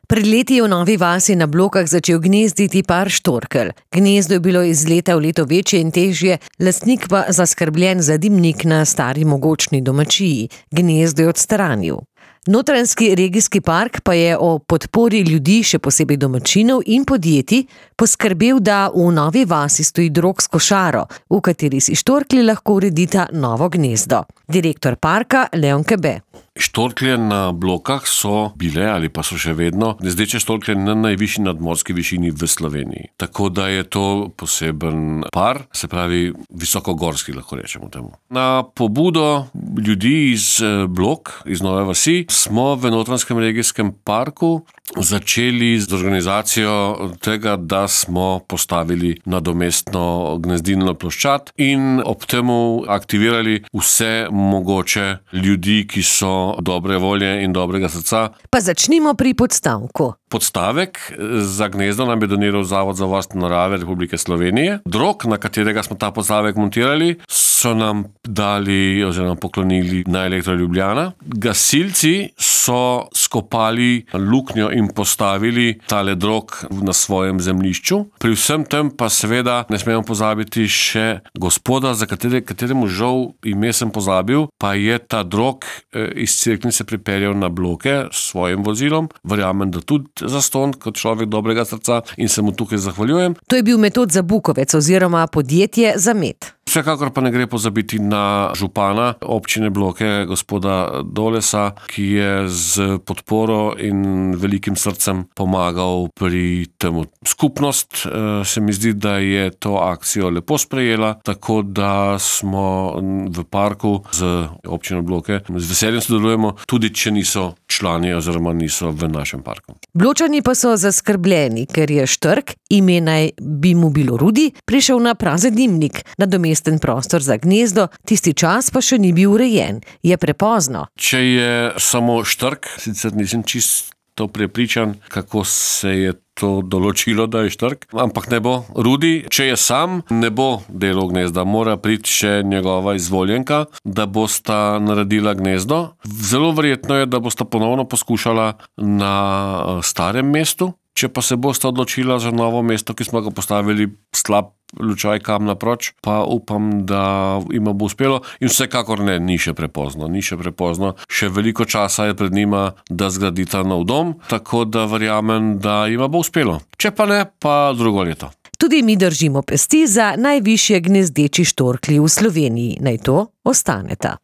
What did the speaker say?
Pred leti je v Novi vasi na Blokah začel gnezditi par štorkelj. Gnezdo je bilo iz leta v leto večje in težje, lastnik pa zaskrbljen za dimnik na stari mogočni domačiji. Gnezdo je odstranil. Notranjski regijski park pa je o podpori ljudi, še posebej domačinov in podjetij, poskrbel, da v Novi vasi stoji drog s košaro, v kateri si štorklji lahko uredita novo gnezdo. Direktor parka Leon Kebe. Štorklje na Blokah so bile ali pa so še vedno gnezdeče štorklje na najvišji nadmorski višini v Sloveniji. Tako da je to poseben par, se pravi visokogorski, lahko rečemo temu. Na pobudo ljudi iz Blok, iz Nove vasi, smo v Notranjskem regijskem parku začeli z organizacijo tega, da smo postavili nadomestno gnezdilno ploščad in ob temu aktivirali vse mogoče ljudi, ki so dobre volje in dobrega srca. Pa začnimo pri podstavku. Podstavek za gnezdo nam je doniral Zavod za varstvo narave Republike Slovenije. Drog, na katerega smo ta podstavek montirali, so nam dali oziroma poklonili na Elektro Ljubljana. Gasilci so skopali luknjo in postavili tale drog na svojem zemljišču. Pri vsem tem pa seveda ne smemo pozabiti še gospoda, za kateremu žal ime sem pozabil, pa je ta drog iz Cerknice pripeljal na Bloke s svojim vozilom. Verjamem, da tudi zastonj kot človek dobrega srca in se mu tukaj zahvaljujem. To je bil Metod Zabukovec oziroma podjetje Zamet. Vsekakor pa ne gre pozabiti na župana občine Bloke, gospoda Dolesa, ki je z podporo in velikim srcem pomagal pri temu. Skupnost se mi zdi, da je to akcijo lepo sprejela, tako da smo v parku z občino Bloke z veseljem sodelujemo, tudi če niso člani oziroma niso v našem parku. Bločani pa so zaskrbljeni, ker je štrk, ime naj bi mu bilo Rudi, prišel na prazen dimnik, nadomesten prostor za gnezdo, tisti čas pa še ni bil urejen. Je prepozno. Če je samo štrk, sicer nisem čisto prepričan, kako se je to določilo, da je štrk, ampak ne bo. Rudi, če je sam, ne bo delal gnezda, mora priti še njegova izvoljenka, da bosta naredila gnezdo. Zelo verjetno je, da bosta ponovno poskušala na starem mestu. Če pa se bosta odločila za novo mesto, ki smo ga postavili slab lučaj kam naproč, pa upam, da ima bo uspelo in vsekakor ne, ni še prepozno. Še veliko časa je pred njima, da zgradita nov dom, tako da verjamem, da ima bo uspelo. Če pa ne, pa drugo leto. Tudi mi držimo pesti za najvišje gnezdeči štorklji v Sloveniji. Naj to ostaneta.